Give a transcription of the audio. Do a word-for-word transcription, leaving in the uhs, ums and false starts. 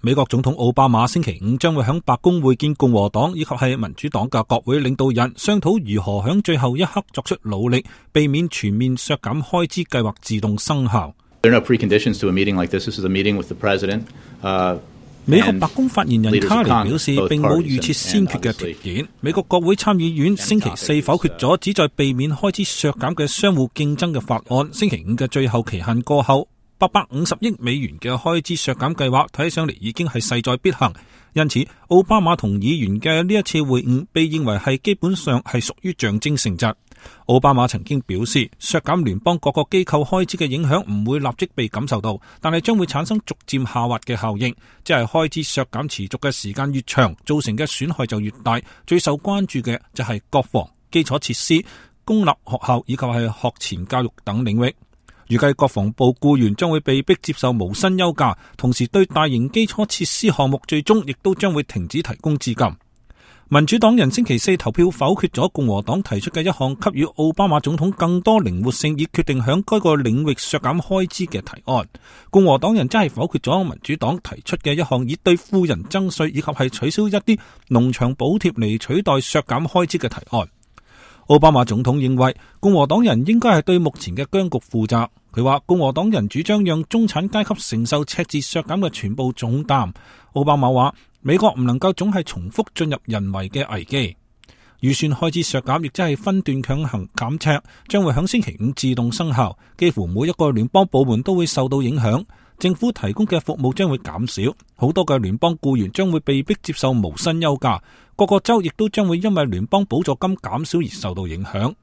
美國總統奧巴馬星期五將會響白宮會見共和黨以及係民主黨嘅國會領導人，商討如何響最後一刻作出努力，避免全面削減開支計劃自動生效。There are no preconditions to a meeting like this. This is a meeting with the president. Uh, 美國白宮發言人卡尼表示，並冇預設先決嘅條件。美國國會參議院星期四否決咗旨在避免開支削減嘅相互競爭嘅法案。星期五嘅最後期限過後，八百五十億美元嘅開支削減計劃睇上嚟已經係勢在必行，因此奧巴馬同議員嘅呢一次會晤被認為係基本上係屬於象徵性質。奧巴馬曾經表示，削減聯邦各個機構開支嘅影響唔會立即被感受到，但係將會產生逐漸下滑嘅效應，即係開支削減持續嘅時間越長，造成嘅損害就越大。最受關注嘅就係國防、基礎設施、公立學校以及係學前教育等領域。預計國防部僱員將會被迫接受無薪休假，同時對大型基礎設施項目最終亦都將會停止提供資金。民主黨人星期四投票否決咗共和黨提出嘅一項給予奧巴馬總統更多靈活性以決定響該個領域削減開支嘅提案。共和黨人真係否決咗民主黨提出嘅一項以對富人徵稅以及係取消一啲農場補貼嚟取代削減開支嘅提案。奧巴馬總統認為共和黨人應該係對目前嘅僵局負責。佢話共和黨人主張讓中產階級承受赤字削減嘅全部重擔。奧巴馬話美國唔能夠總係重複進入人為嘅危機。預算開支削減亦即係分段強行減赤，將會響星期五自動生效，幾乎每一個聯邦部門都會受到影響。政府提供嘅服務將會減少，好多嘅聯邦僱員將會被迫接受無薪休假，各個州亦都將會因為聯邦補助金減少而受到影響。